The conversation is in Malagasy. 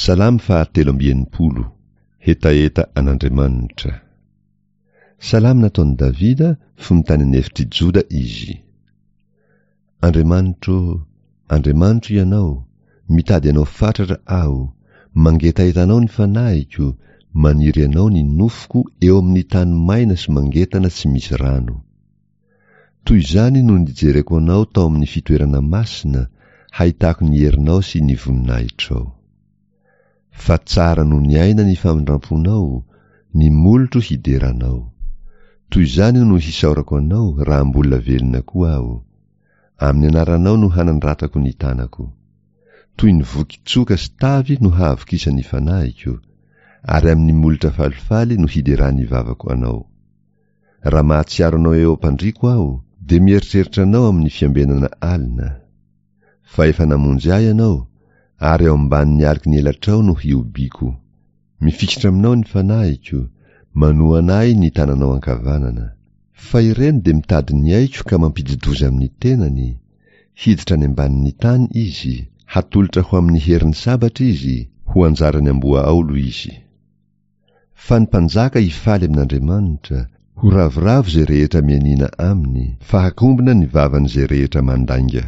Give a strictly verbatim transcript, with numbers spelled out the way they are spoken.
Salamo fahatelo amby enimpolo. Hetaheta an'Andriamanitra. Salamo nataon'i Davida fony tany an'efitr'i Joda izy. Andriamanitro ô, Andriamanitro Ianao, mitady Anao fatratra aho, mangetaheta Anao ny fanahiko, maniry Anao ny nofoko eo amin'ny tany maina sy mangetana tsy misy rano. Toy izany no nijereko Anao tao amin'ny fitoerana masina, hahitako ny herinao sy ny voninahitrao. Fa tsara noho ny aina ny famindramponao, ny molotro hidera Anao. Toy izany no hisaorako Anao raha mbola velona koa aho. Amin'ny anaranao no hanandratako ny tanako. Toy ny voky tsoka sy tavy no hahavokisan'ny fanahiko, ary amin'ny molotra falifaly no hideran'ny vavako Anao. Raha mahatsiaro Anao eo am-pandriako aho, dia mieritreritra Anao amin'ny fiambenana alina. Fa efa namonjy ahy Ianao, ary eo ambanin'ny aloky ny elatrao no hihobiako. Mifikitra aminao ny fanahiko, manohana ahy ny tananao ankavanana. Fa ireny dia mitady ny aiko ka mampidi-doza amin'ny tenany, hiditra any ambanin'ny tany izy, hatolotra ho amin'ny herin'ny sabatra izy, ho anjaran'ny amboa aolo izy. Fa ny mpanjaka hifaly amin'Andriamanitra, ho ravoravo izay rehetra mianiana aminy, fa hakombona ny vavan'izay rehetra mandainga.